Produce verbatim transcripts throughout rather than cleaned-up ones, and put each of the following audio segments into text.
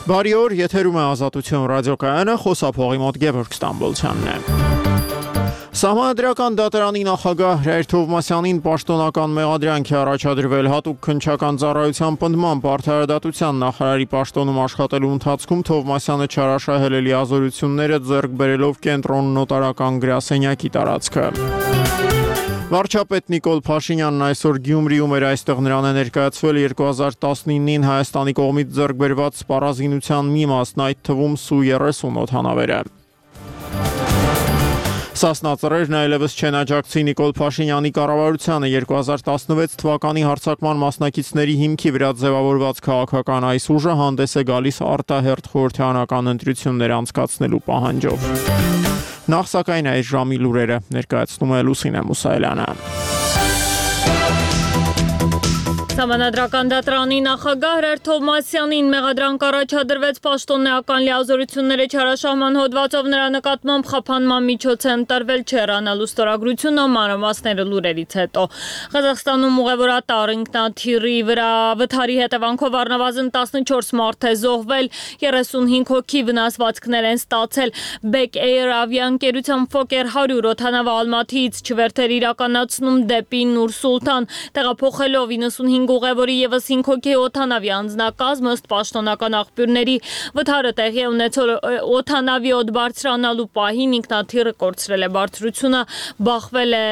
Բարի օր, եթերում է Ազատություն ռադիոկայանը, խոսափողի մոտ Գևորգ Ստամբոլցյանն է։ Սահմանադրական դատարանի նախագահ Հրայր Թովմասյանին պաշտոնական մեղադրանք է առաջադրվել հատուկ քննչական ծառայության պնդմամբ արդարադատության նախարարի պաշտոնում աշխատելու ընթացքում Թովմասյանը չարաշահել է լիազորությունները ձեռք բերելով կենտրոն նոտարական գրասենյակի տարածքը։ Վարչապետ Նիկոլ Փաշինյանն այսօր Գյումրիում էր, այստեղ նրան է ներկայացվել երկու հազար տասնինին Հայաստանի կողմից ձեռք բերված սպառազինության մի մասն, այդ թվում Սու երեսուն օդանավերը։ Սասնա ծռերն այլևս չեն աջակցի Նիկոլ Փաշինյանի կառավարությանը երկու հազար տասնվեց թվականի հարձակման մասնակիցների հիմքի վրա ձևավորված քաղաքական այս ուժը հանդես է գալիս արտահերթ խորհրդարանական ընտրություններ անցկացնելու պահանջով։ Նախ սակայն այս ժամի լուրերը ներկայացնում է Լուսինե Մուսայելյանը։ Սահմանադրական դատարանի նախագահ Հրայր Թովմասյանին մեղադրանք առաջադրվեց պաշտոնեական լիազորությունները չարաշահման հոդվածով նրա նկատմամբ խափանման միջոց է ընտրվել չհեռանալու ստորագրությունը մանրամասները լուրերից հետո։ Ղազախստանում ուղևորատար ինքնաթիռի վրա վթարի հետևանքով առնվազն տասնչորս մարդ է զոհվել, երեսունհինգ հոգի վնասվածքներ են ստացել։ Back Air ավիաընկերության Fokker հարյուր օդանավը Ալմաթիից չվերթեր իրականացնում դեպի Նուր Սուլտան, տեղափոխելով իննսունհինգ ուղևորի ևս հինգ հոգի օդանավի անձնակազմ ըստ պաշտոնական աղբյուրների վթարը տեղի է ունեցել օդանավի օդ բարձրանալու պահին ինքնաթիռը կորցրել է բարձրությունը, բախվել է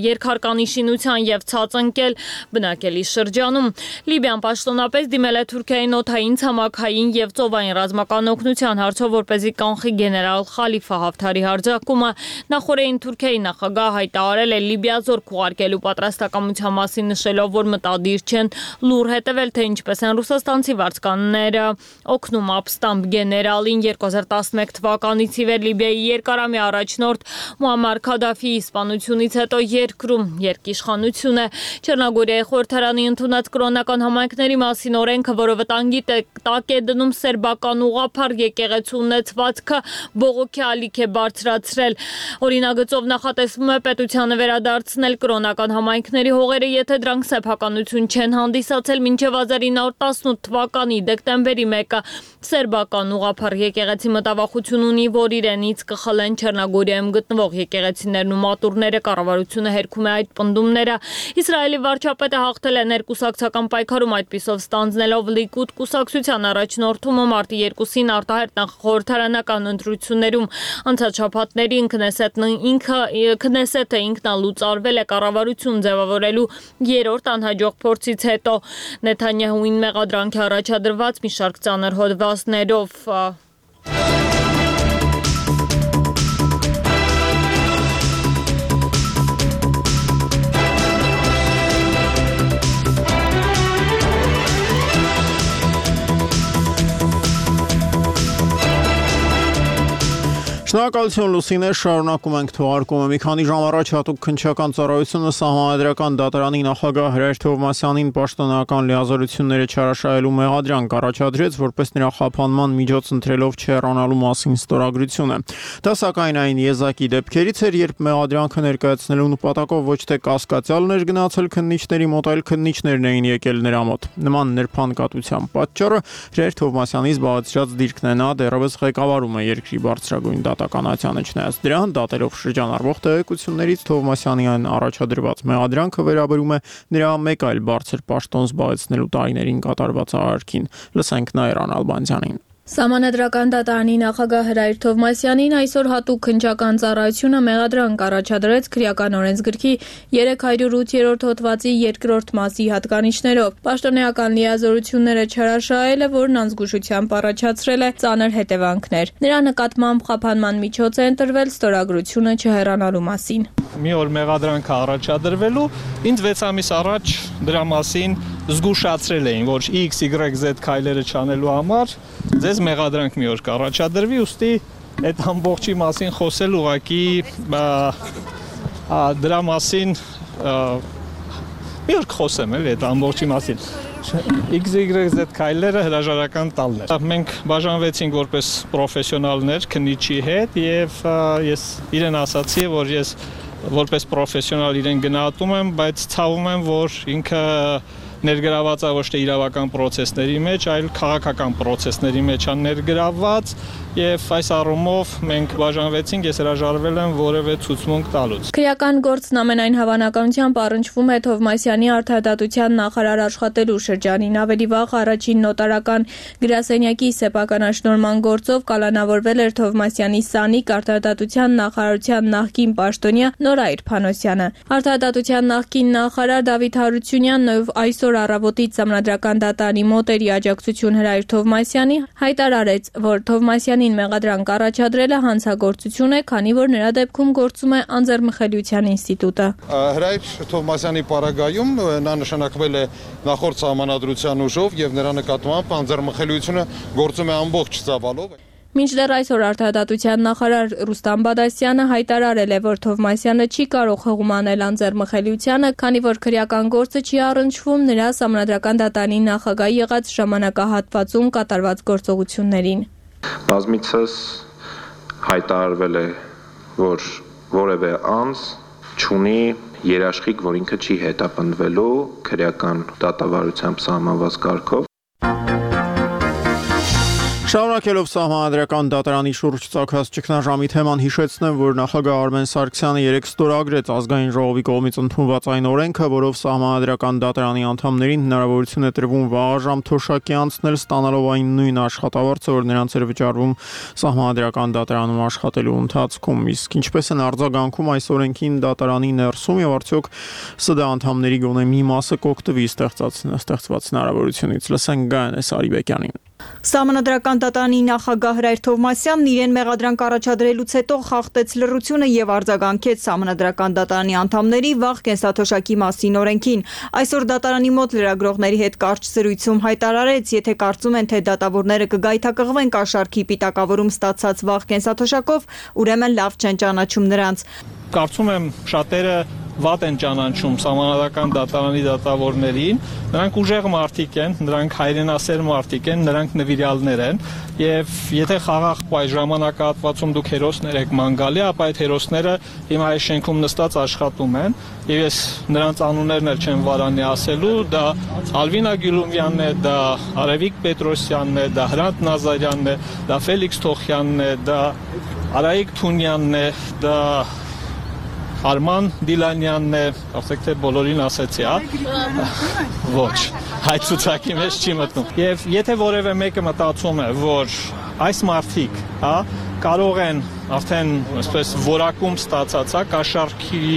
երկհարկանի շինության եւ ցածընկել բնակելի շրջանում։ Լիբիան պաշտոնապես դիմել է Թուրքիային օդային, ցամաքային եւ ծովային ռազմական օգնության հարցով, որպեսզի կանխի գեներալ Խալիֆա Հաֆթարի հարձակումը։ Նախորդին Թուրքիայի նախագահ հայտարարել է Լիբիա զորք ուղարկելու պատրաստակամության մասին, նշելով, որ մտադիր չեն լուր հետևել, թե ինչպես են ռուսաստանցի վարձկանները օգնում ապստամբ գեներալին։ երկու հազար տասնմեկ թվականից ի վեր Լիբիայի երկարամյա առաջնորդ Մուամմար Քադաֆիի սպանությունից հետո երկրում երկիշխանություն է։ Չեռնագորիայի խորհրդարանի ընդունած կրոնական համայնքների մասին օրենքը, որը վտանգի տակ է դնում սերբական ուղղափառ եկեղեցու ունեցվածքը, բողոքի ալիք է բարձրացրել։ Օրինագծով նախատեսվում է պետությանը վերադարձնել կրոնական համայնքների հողերը, եթե դրանք սեփականություն չեն հանդիսացել մինչև հազար ինը հարյուր տասնութ թվականի դեկտեմբերի մեկը։ Սերբական ուղղափառ եկեղեցի մտավախություն ունի, որ իրենից կխլեն Չեռնագորիայում գտնվող եկեղեցիներն ու մատուրները, կառավարությունը հերքում է այդ պնդումները։ Իսրայելի վարչապետը հաղթել է ներկուսակցական պայքարում, այդպիսով ստանձնելով Լիկուդ կուսակցության առաջնորդումը մարտի երկուսին արտահերթ խորհրդարանական ընտրություններում։ Անցած շաբաթներին Քնեսետն ինքը Քնեսետը ինքնալուծարվել է կառավարություն ձևավորելու երրորդ անհաջող փորձից հետո։ Նեթանյահուին մեղադրանք է առաջադրված մի շարք ծանր հոդվածներով։ Շնորհակալություն Լուսինե, շարունակում ենք թողարկումը։ Մի քանի ժամ առաջ հատուկ քննչական ծառայությունը Սահմանադրական դատարանի նախագահ Հրայր Թովմասյանին պաշտոնական լիազորությունները չարաշահելու մեղադրանք առաջադրեց, որպես նրա խափանման միջոց ընտրելով չհեռանալու մասին ստորագրությունը։ Դա սակայն այն եզակի դեպքերից էր, երբ մեղադրանքը ներկայացնելու նպատակով ոչ թե կասկածյալն էր գնացել քննիչների մոտ, այլ քննիչներն էին եկել նրա մոտ։ Նման նրբանկատության պատճառը Հրայր Թովմասյանի զբաղեցրած դիրքն է, նա դեռևս ղեկավարում է երկրի բարձրագույն դատականությանը, չնայած դրան, դատելով շրջանառվող տեղեկություններից Թովմասյանին առաջադրված մեղադրանքը վերաբերում է նրա մեկ այլ բարձր պաշտոն զբաղեցնելու տարիներին կատարված արարքին։ Լսենք Նաիրան Ալբանդյանին։ Սահմանադրական դատարանի նախագահ Հրայր Թովմասյանին այսօր հատուկ քննչական ծառայությունը մեղադրանք առաջադրեց քրեական օրենսգրքի երեք հարյուր ութ հոդվածի երկրորդ մասի հատկանիշներով։ Պաշտոնեական լիազորությունները չարաշահելը, որն անզգուշությամբ առաջացրել է ծանր հետևանքներ։ Նրա նկատմամբ խափանման միջոց է ընտրվել ստորագրությունը չհեռանալու մասին։ Մի օր մեղադրանքը առաջադրվելու, ինձ վեց ամիս առաջ դրա մասին զգուշացրել էին, որ X Y Z քայլերը չանելու համար ձեզ մեղադրանք մի օր կառաջադրվի, ուստի այդ ամբողջի մասին խոսել ուղղակի դրա մասին մի օր կխոսեմ էլի այդ ամբողջի մասին։ X Y Z քայլերը հրաժարական տալն էր։ Մենք բաժանվեցինք որպես պրոֆեսիոնալներ քննիչի հետ եւ ես իրեն ասացի, որ ես որպես պրոֆեսիոնալ իրեն գնահատում եմ, բայց ցավում եմ, որ ինքը ներգրաված է ոչ թե իրավական process-ների մեջ, այլ քաղաքական process-ների մեջ է ներգրաված, եւ այս առումով մենք բաժանվեցինք, ես հրաժարվել եմ որևէ ցուցմունք տալուց։ Քրեական գործն ամենայն հավանականությամբ առնչվում է Թովմասյանի արդարադատության նախարար աշխատելու շրջանին։ Ավելի վաղ առաջին նոտարական գրասենյակի սեփականաշնորհման գործով կալանավորվել էր Թովմասյանի սանիկ արդարադատության նախարարության նախկին պաշտոնյա Նորայր Փանոսյանը։ Արդարադատության նախկին նախարար Դավիթ Հարությունյանն, ով այսօր առավոտից Սահմանադրական դատարանի մոտ էր աջակցություն հրայր Թովմասյանի, հայտարարեց, որ Թովմասյանին մեղադրանք առաջադրելը հանցագործություն է, քանի որ նրա դեպքում գործում է անձեռմխելիության ինստիտուտը։ Հրայր Թովմասյանի պարագայում նա նշանակվել է նախորդ սահմանադրության ուժով եւ նրա նկատմամբ անձեռմխելիությունը գործում է ամբողջ ծավալով։ Մինչդեռ այսօր արդարադատության նախարար Ռուստամ Բադասյանը հայտարարել է, որ Թովմասյանը չի կարող հղում անել անձեռմխելիությանը, քանի որ քրեական գործը չի առնչվում նրա Սահմանադրական դատարանի նախագահ եղած ժամանակահատվածում կատարված գործողություններին։ Բազմիցս հայտարարվել է, որ որևէ անձ չունի երաշխիք, որ ինքը չի հետապնդվելու քրեական դատավարությամբ սահմանված կարգով։ Շարունակելով Սահմանադրական դատարանի շուրջ ծագած ճգնաժամի թեման, հիշեցնեմ, որ նախագահ Արմեն Սարգսյանը երեկ ստորագրեց ազգային ժողովի կողմից ընդունված այն օրենքը, որով Սահմանադրական դատարանի անդամներին հնարավորություն է տրվում վաղաժամ թոշակի անցնել, ստանալով այն նույն աշխատավարձը, որ նրանց էր վճարվում Սահմանադրական դատարանում աշխատելու ընթացքում։ Իսկ ինչպես են արձագանքում այս օրենքին դատարանի ներսում եւ արդյոք ՍԴ անդամների գոնե մի մասը կօգտվի ստեղծված հնարավորությունից։ Լսենք Գայանե Սարիբեկյանին։ Սահմանադրական դատարանի նախագահ Հրայր Թովմասյանն իրեն մեղադրանք առաջադրելուց հետո խախտեց լռությունը եւ արձագանքեց Սահմանադրական դատարանի անդամների վաղ կենսաթոշակի մասին օրենքին։ Այսօր դատարանի մոտ լրագրողների հետ կարճ զրույցում հայտարարեց, եթե կարծում են, թե դատավորները կգայթակղվեն կաշառքի պիտակավորում ստացած վաղ կենսաթոշակով, ուրեմն լավ չեն ճանաչում նրանց։ Կարծում եմ շատերը վատ են ճանաչում Սահմանադրական դատարանի դատավորներին, նրանք ուժեղ մարդիկ են, նրանք հայրենասեր մարդիկ են, նրանք նվիրյալներ են, եւ եթե խաղաղ այս ժամանակահատվածում դուք հերոսներ եք ման գալի, ապա այդ հերոսները հիմա այս շենքում նստած աշխատում են, եւ ես նրանց անուններն էլ չեմ վարանի ասելու, դա Ալվինա Գյուլումյանն է, դա Արևիկ Պետրոսյանն է, դա Հրանտ Նազարյանն է, դա Ֆելիքս Թոխյանն է, դա Արայիկ Թունյանն է, դա Արման Դիլանյանն է, ասեք թե բոլորին ասեցի, հա։ Ոչ, այդ ցուցակի մեջ չի մտնում։ Եվ եթե որևէ մեկը մտածում է, որ այս մարդիկ, հա, կարող են արդեն, այսպես, որակում ստացած, հա, կաշառքի,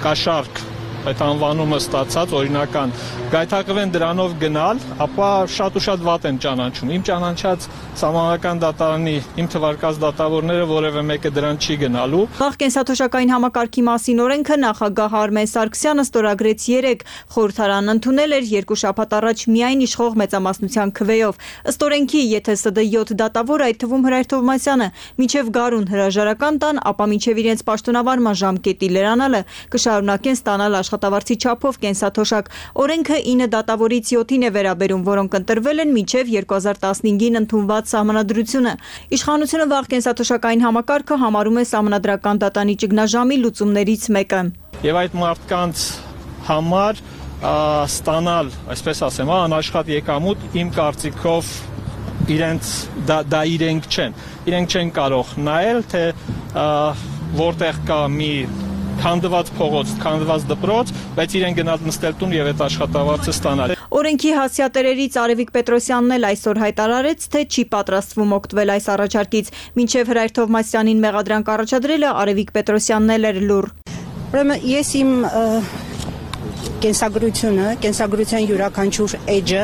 կաշառք այդ անվանումը ստացած օրինական գայթակղվեն դրանով գնալ, ապա շատ ու շատ վատ են ճանաչում։ Իմ ճանաչած Սահմանադրական դատարանի իմ թվարկած դատավորները որևէ մեկը դրան չի գնալու։ Վաղ կենսաթոշակային համակարգի մասին օրենքը նախագահ Արմեն Սարգսյանը ստորագրեց երեկ, խորհրդարանն ընդունել էր երկու շաբաթ առաջ միայն իշխող մեծամասնության քվեով։ Ըստ օրենքի, եթե ՍԴ յոթ դատավոր, այդ թվում Հրայր Թովմասյանը, մինչև գարուն հրաժարական տան, ապա մինչև իրենց պաշտոնավարման ժամկետի լրանալը կշարունակեն ստանալ աշխատավարձի չափով կենսաթոշակ։ Օրենքը ինը դատավորից յոթին է վերաբերում, որոնք ընտրվել են մինչև երկու հազար տասնհինգին ընդունված սահմանադրությունը։ Իշխանությունը վաղ կենսաթոշակային համակարգը համարում է Սահմանադրական դատարանի ճգնաժամի լուծումներից մեկը։ Եվ այդ մարդկանց համար ստանալ, այսպես ասեմ, անաշխատ եկամուտ իմ կարծիքով իրենց դա, դա իրենք չեն։ Իրենք չեն կարող նայել, թե որտեղ կա մի քանդված փողոց, քանդված դպրոց, բայց իրեն գնալ նստել տուն եւ այդ աշխատավարձը ստանալ։ Օրենքի հասցեատերերից Արևիկ Պետրոսյանն էլ այսօր հայտարարեց, թե չի պատրաստվում օգտվել այս առաջարկից։ Մինչև Հրայր Թովմասյանին մեղադրանք առաջադրելը Արևիկ Պետրոսյանն էլ էր լուր։ Ուրեմն ես իմ կենսագրությունը, կենսագրության յուրաքանչյուր էջը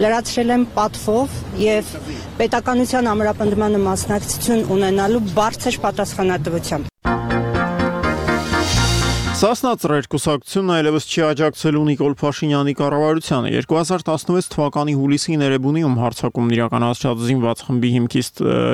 լրացրել եմ պատվով եւ պետականության ամրապնդմանը մասնակցություն ունենալու բարձր պատասխանատվությամբ։ Սասնա ծռեր կուսակցությունն այլևս չի աջակցելու Նիկոլ Փաշինյանի կառավարությանը։ երկու հազար տասնվեց թվականի հուլիսին Էրեբունիում հարձակումն իրականացրած զինված խմբի հիմքի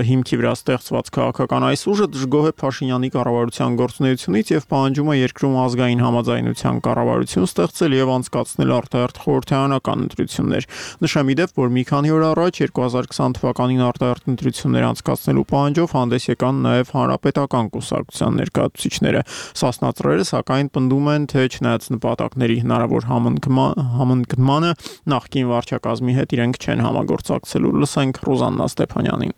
հիմքի վրա ստեղծված քաղաքական այս ուժը դժգոհ է Փաշինյանի կառավարության գործունեությունից եւ պահանջում է երկրում ազգային համաձայնության կառավարություն ստեղծել եւ անցկացնել արտահերթ խորհրդարանական ընտրություններ։ Նշեմ ի դեպ, որ մի քանի օր առաջ երկու հազար քսան թվականին արտահերթ ընտրություններ անցկացնելու պահանջով հանդես եկան նաեւ հանրապետական կուսակցության ներկայացուցիչները։ Սասնա ծռերը սակայն սակայն պնդում են, թե չնայած նպատակների հնարավոր համընկնմանը նախկին վարչակազմի հետ իրենք չեն համագործակցելու։ Լսենք Ռուզաննա Ստեփանյանին։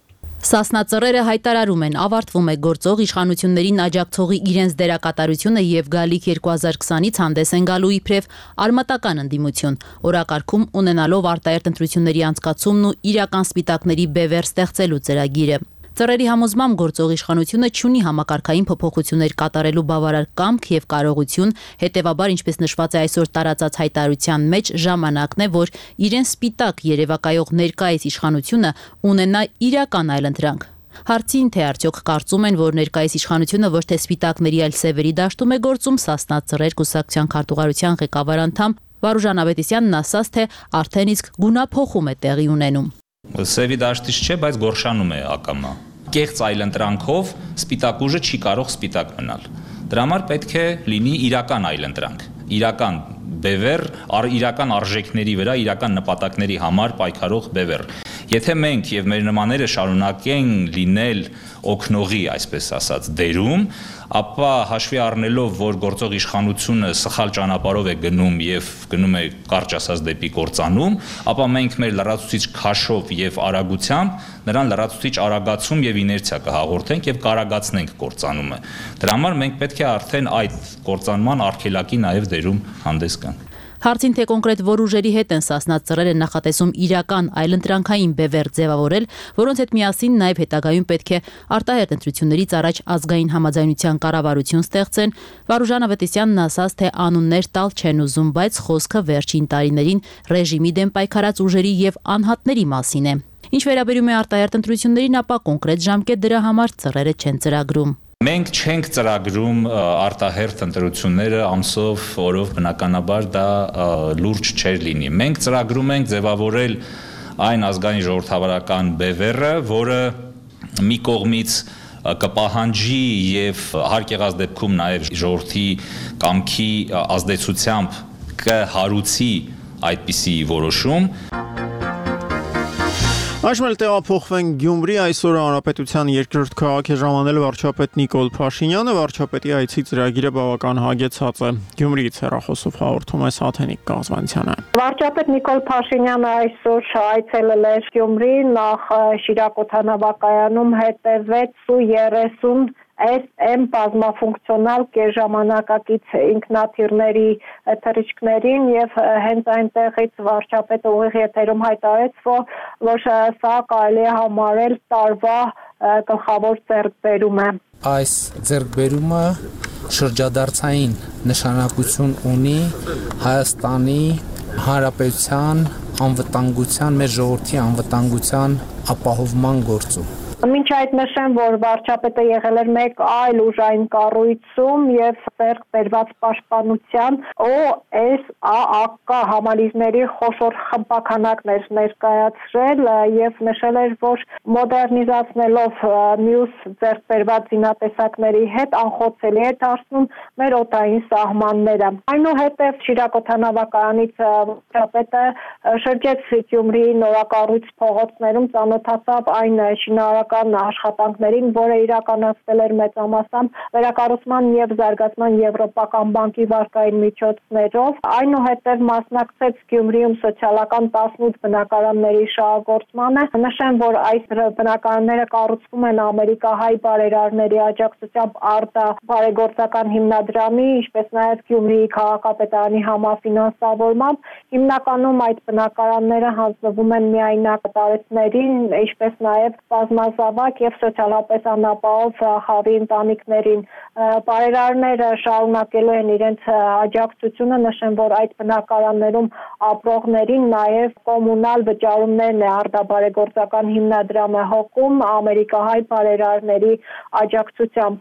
Սասնա ծռերը հայտարարում են, ավարտվում է գործող իշխանություններին աջակցողի իրենց դերակատարությունը եւ գալիք երկու հազար քսանից հանդես են գալու իբրև արմատական ընդդիմություն, օրակարգում ունենալով արտահերթ ընտրությունների անցկացումն ու իրական սպիտակների բևեռ ստեղծելու ծրագիրը։ Ծռերի համոզմամբ գործող իշխանությունը չունի համակարգային փոփոխություններ կատարելու բավարար կամք եւ կարողություն, հետեւաբար, ինչպես նշված է այսօր տարածած հայտարարության մեջ, ժամանակն է, որ իրեն սպիտակ երևակայող ներկայիս իշխանությունը ունենա իրական այլընտրանք։ Հարցին, թե արդյոք կարծում են, որ ներկայիս իշխանությունը ոչ թե սպիտակների, այլ սևերի դաշտում է գործում, Սասնա ծռեր կուսակցության քարտուղարության ղեկավար անդամ Վարուժան Ավետիսյանն ասաց, թե արդեն իսկ գունափոխում է տեղի ունենում։ Սևի դաշտից չէ, բայց Գորշանում է ակամա։ Կեղծ այլընտրանքով սպիտակ ուժը չի կարող սպիտակ մնալ։ Դրա համար պետք է լինի իրական այլընտրանք, իրական բևեռ, իրական արժեքների վրա, իրական նպատակների համար պայքարող բևեռ։ Եթե մենք եւ մեր նմանները շարունակեն լինել օգնողի, այսպես ասած, դերում, ապա հաշվի առնելով, որ գործող իշխանությունը սխալ ճանապարհով է գնում եւ գնում է կարճ ասած դեպի կործանում, ապա մենք մեր լրացուցիչ քաշով եւ արագությամբ նրան լրացուցիչ արագացում եւ իներցիա կհաղորդենք եւ կարագացնենք կործանումը։ Դրա համար մենք պետք է արդեն այդ կործանման արգելակի նաեւ դերում հանդես գանք։ Հարցին, թե կոնկրետ որ ուժերի հետ են Սասնա ծռերը նախատեսում իրական այլընտրանքային բևեռ ձևավորել, որոնց հետ միասին նաև հետագայում պետք է արտահերթ ընտրություններից առաջ ազգային համաձայնության կառավարություն ստեղծեն, Վարուժան Ավետիսյանն ասաց, թե անուններ տալ չեն ուզում, բայց խոսքը վերջին տարիներին ռեժիմի դեմ պայքարած ուժերի եւ անհատների մասին է։ Ինչ վերաբերում է արտահերթ ընտրություններին, ապա կոնկրետ ժամկետ դրա համար ծռերը չեն ծրագրում։ Մենք չենք ծրագրում արտահերթ ընտրությունները ամսով, օրով, բնականաբար դա լուրջ չէր լինի։ Մենք ծրագրում ենք ձևավորել այն ազգային ժողովրդավարական բևեռը, որը մի կողմից կպահանջի եւ հարկ եղած դեպքում նաեւ ժողովրդի կամքի ազդեցությամբ կհարուցի այդպիսի որոշում։ Այժմ էլ տեղափոխվենք Գյումրի, այսօր Հանրապետության երկրորդ քաղաք է ժամանել վարչապետ Նիկոլ Փաշինյանը, վարչապետի այցի ծրագիրը բավական հագեցած է։ Գյումրիից հեռախոսով հաղորդում է Սաթենիկ Կազմանցյանը։ Վարչապետ Նիկոլ Փաշինյանը այսօր այցելել էր Գյումրի, նախ Շիրակ օդանավակայանում հետևեց ու երեսուն S M բազմաֆունկցիոնալ կեժամանակակից ինքնաթիռների թռիչքներին եւ հենց այնտեղից վարչապետը ուղիղ եթերում հայտարարեց, որ սա կարելի է համարել տարվա գլխավոր ձեռքբերում է։ Այս ձեռքբերումը շրջադարձային նշանակություն ունի Հայաստանի Հանրապետության անվտանգության, մեր ժողովրդի անվտանգության ապահովման գործում։ Մինչ այդ նշեմ, որ վարչապետը եղել էր մեկ այլ ուժային կառույցում եւ ձեռք բերված պաշտպանության O S A A K համալիրների խոշոր խմբականակներ ներկայացրել եւ նշել էր, որ մոդեռնիզացնելով մյուս ձեռք բերված զինատեսակների հետ անխոցելի է դարձնում մեր օդային սահմանները։ Այնուհետև Շիրակ օդանավակայանից վարչապետը շրջեց Գյումրիի նորակառույց փողոցներում, ծանոթացավ այն շինարարական աշխատանքներին, որը իրականացվել էր մեծամասամբ վերակառուցման եւ զարգացման եվրոպական բանկի վարկային միջոցներով, այնուհետև մասնակցեց Գյումրիում սոցիալական տասնութ բնակարանների շահագործմանը։ Նշեմ, որ այս բնակարանները կառուցվում են ամերիկահայ բարերարների աջակցությամբ ԱՐԴԱ բարեգործական հիմնադրամի, ինչպես նաեւ Գյումրիի քաղաքապետարանի համաֆինանսավորմամբ։ Հիմնականում այդ բնակարանները հանձնվում են միայնակ տարեցներին, ինչպես նաեւ բազմազավակ եւ սոցիալապես անապահով խավի ընտանիքներին։ Բարերարները շարունակելու են իրենց աջակցությունը, նշեմ, որ այդ բնակարաններում ապրողներին նաեւ կոմունալ վճարումներն է ԱՐԴԱ բարեգործական հիմնադրամը հոգում ամերիկահայ բարերարների աջակցությամբ։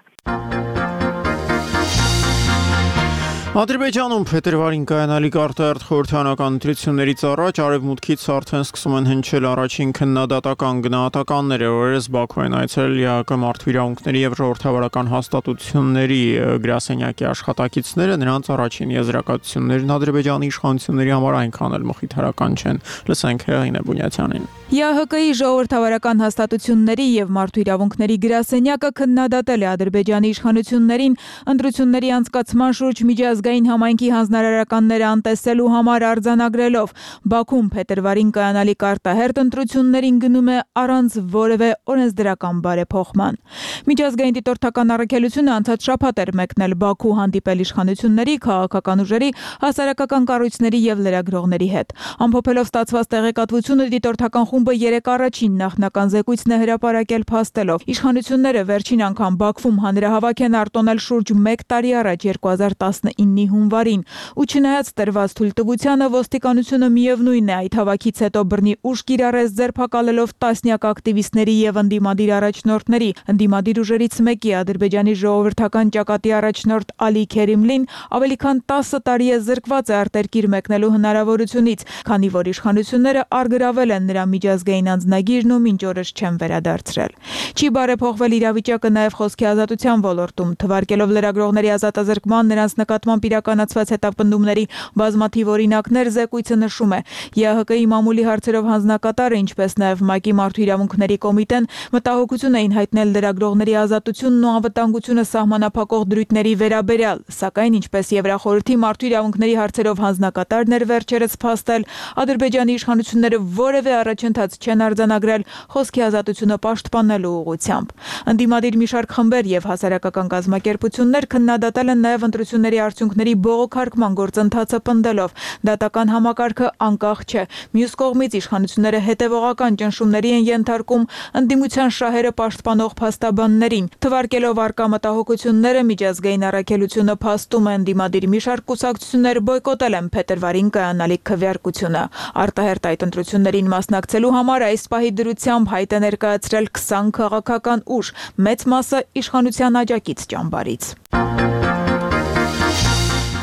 Ադրբեջանում փետրվարին կայանալիք արտահերթ խորհրդանական ընտրություններից առաջ արևմուտքից արդեն սկսում են հնչել առաջին քննադատական գնահատականները, օրերս Բաքու են այցելել ԵԱՀԿ մարդու իրավունքների եւ ժողովրդավարական հաստատությունների գրասենյակի աշխատակիցները, նրանց առաջին եզրակացություններն Ադրբեջանի իշխանությունների համար այնքան էլ մխիթարական չեն։ Լսենք Հեղինե Բունյաթյանին։ ԵԱՀԿ-ի ժողովրդավարական հաստատությունների եւ մարդու իրավունքների գրասենյակը քննադատել է Ադրբեջանի իշխանություններին ընտրությունների անցկացման շուրջ միջազգային համայնքի հանձնարարականները անտեսելու համար արձանագրելով Բաքուն փետրվարին կայանալիք արտահերթ ընտրություններին գնում է առանց որևէ օրենսդրական բարեփոխման։ Միջազգային դիտորդական առաքելությունը անցած շաբաթ էր մեկնել Բաքու հանդիպել իշխանությունների, քաղաքական ուժերի, հասարակական կառույցների եւ լրագրողների հետ։ Ամփոփելով ստացված տեղեկատվությունը դիտորդական խումբը երեք առաջին նախնական զեկույցն է հրապարակել փաստելով։ Իշխանությունները վերջին անգամ Բաքվում հանրահավաք են արտոնել շուրջ մեկ տարի առաջ երկու հազար տասնինի հունվարին, ու չնայած տրված թույլտվությանը ոստիկանությունը միևնույն է այդ հավաքից հետո բռնի ուժ կիրառեց ձերբակալելով տասնյակ ակտիվիստների եւ ընդդիմադիր առաջնորդների։ Ընդդիմադիր ուժերից մեկի Ադրբեջանի ժողովրդական ճակատի առաջնորդ Ալի Քերիմլին ավելի քան տասը տարի է զրկված է արտերկիր մեկնելու հնարավորությունից, քանի որ իշխանությունները արգրավել են նրա միջազգային անձնագիրն ու մինչ օրս չեն վերադարձրել։ Չի բարեփոխվել իրավիճակը նաև խոսքի ազատության ոլորտում, թվարկելով լրագրողների ազատազրկման, նրանց նկատմամբ իրականացված հետապնդումների բազմաթիվ օրինակներ, զեկույցը նշում է. ԵԱՀԿ-ի մամուլի հարցերով հանձնակատարը, ինչպես նաև ՄԱԿ-ի մարդու իրավունքների կոմիտեն մտահոգություն էին հայտնել լրագրողների ազատությունն ու անվտանգությունը սահմանափակող դրույթների վերաբերյալ, սակայն ինչպես Եվրախորհրդի մարդու իրավունքների հարցերով հանձնակատարն էր վերջերս փաստել, Ադրբեջանի իշխանությունները որևէ առաջընթաց չեն արձանագրել խոսքի ազատությունը պաշտպանելու ուղղությամբ։ Ընդդիմադիր մի շարք խմբեր եւ հասարակական կազմակերպություններ քննադատել են նաեւ ընտրությունների արդյունքների բողոքարկման գործընթացը պնդելով դատական համակարգը անկախ չէ։ Մյուս կողմից իշխանությունները հետևողական ճնշումների են ենթարկում ընդդիմության շահերը պաշտպանող փաստաբաններին։ Թվարկելով արկա մտահոգությունները, միջազգային առաքելությունը փաստում է ընդդիմադիր մի շարք կուսակցություններ բոյկոտել են փետրվարին կայանալիք քվեարկությունը։ Արտահերթ այդ ընտրություններին մասնակցելու համար այս պահի դրությամբ հայտ է ներկայացրել քսան քաղաքական ուժ, մեծ մասը իշխանության աջակից ճամբարից։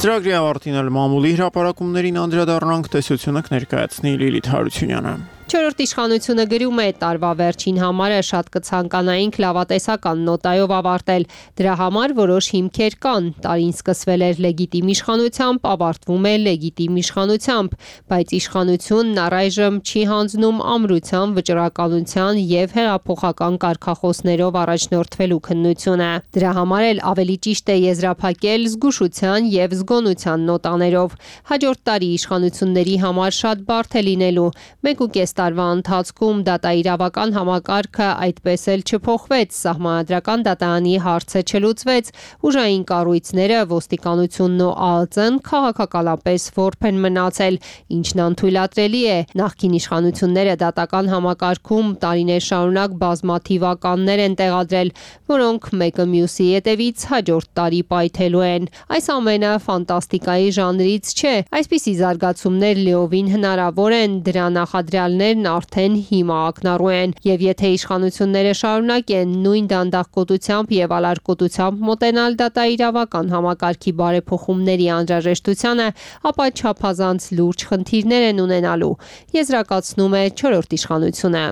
Ծրագրի ավարտին էլ մամուլի հրապարակումներին անդրադառնանք, տեսությունը կներկայացնի Լիլիթ Հարությունյանը։ Չորրորդ իշխանությունը գրում է տարվա վերջին համարը շատ կցանկանայինք լավատեսական նոտայով ավարտել։ Դրա համար որոշ հիմքեր կան։ Տարին սկսվել էր լեգիտիմ իշխանությամբ, ավարտվում է լեգիտիմ իշխանությամբ, բայց իշխանությունն առայժմ չի հանձնում ամրության, վճռականության եւ հեղափոխական կարգախոսներով առաջնորդվելու քննությունը։ Դրա համար էլ ավելի ճիշտ է եզրափակել զգուշության եւ զգոնության նոտաներով։ Հաջորդ տարի իշխանությունների համար շատ բարդ է լինելու։ մեկ ու կես տարվա ընթացքում դատաիրավական համակարգը այդպես էլ չփոխվեց, սահմանադրական դատարանի հարցը չլուծվեց, ուժային կառույցները, ոստիկանությունն ու ԱԱԾ-ն քաղաքականապես որբ են մնացել, ինչն անթույլատրելի է։ Նախկին իշխանությունները դատական համակարգում տարիներ շարունակ բազմաթիվ ականներ են տեղադրել, որոնք մեկը մյուսի հետևից հաջորդ տարի պայթելու են։ Այս ամենը ֆանտաստիկայի ժանրից չէ։ Այսպիսի զարգացումներ լիովին հնարավոր են, դրա նախադրյալներն արդեն հիմա ակնառու են, եւ եթե իշխանությունները շարունակեն նույն դանդաղկոտությամբ եւ ալարկոտությամբ մոտենալ դատաիրավական համակարգի բարեփոխումների անհրաժեշտությանը, ապա չափազանց լուրջ խնդիրներ են ունենալու, եզրակացնում է չորրորդ իշխանությունը։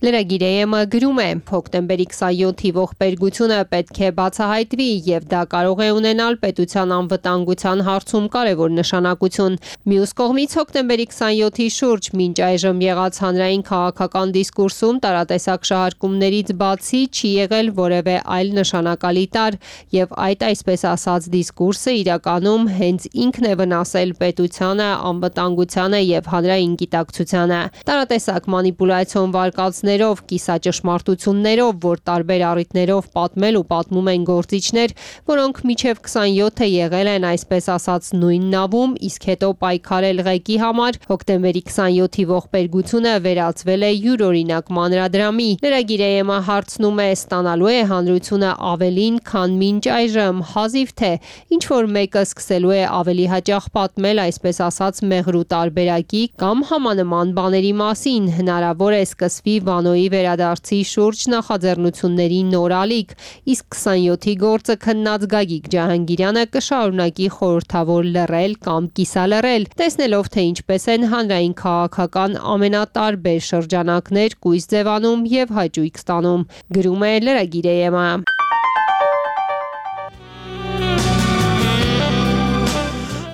Լրագիրը գրում է. հոկտեմբերի քսանյոթի ողբերգությունը պետք է բացահայտվի եւ դա կարող է ունենալ պետության անվտանգության հարցում կարևոր նշանակություն։ Մյուս կողմից հոկտեմբերի քսանյոթի շուրջ մինչ այժմ եղած հանրային քաղաքական դիսկուրսում տարատեսակ շահարկումներից բացի չի եղել որևէ այլ նշանակալի տար եւ այդ այսպես ասած դիսկուրսը իրականում հենց ինքն է վնասել պետությանը, անվտանգությանը եւ հանրային գիտակցությանը։ Տարատեսակ մանիպուլյացիոն վարկածներ ով կիսաճշմարտություններով, որ տարբեր առիթներով պատմել ու պատմում են գործիչներ, որոնք միջև քսանյոթը եղել են այսպես ասած նույն նավում, իսկ հետո պայքարել ղեկի համար, հոկտեմբերի քսանյոթի ողբերգությունը վերածվել է յուրօրինակ մանրադրամի։ Լրագիրը հարցնում է, ստանալու է հանրությունը ավելին, քան մինչ այժմ, հազիվ թե ինչ որ մեկը սկսելու է ավելի հաճախ պատմել այսպես ասած մեղրու տարբերակի կամ համանման բաների մասին, հնարավոր է սկսվի Վանոյի վերադարձի շուրջ նախաձեռնությունների նոր ալիք, իսկ քսանյոթի գործը քննած Գագիկ Ջահանգիրյանը կշարունակի խորհրդավոր լռել կամ կիսալռել, տեսնելով թե ինչպես են հանրային քաղաքական ամենատարբեր շրջանակներ կույս ձևանում եւ հաճույք ստանում, գրում է Լրագիր Էյեմը։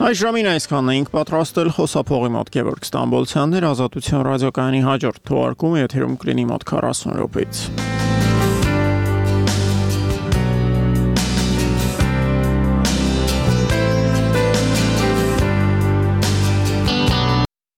Այս ժամին այսքանն էինք պատրաստել, խոսափողի մոտ Գևորգ Ստամբոլցյանն էր, Ազատություն ռադիոկայանի հաջորդ թողարկումը եթերում կլինի մոտ քառասուն րոպեից։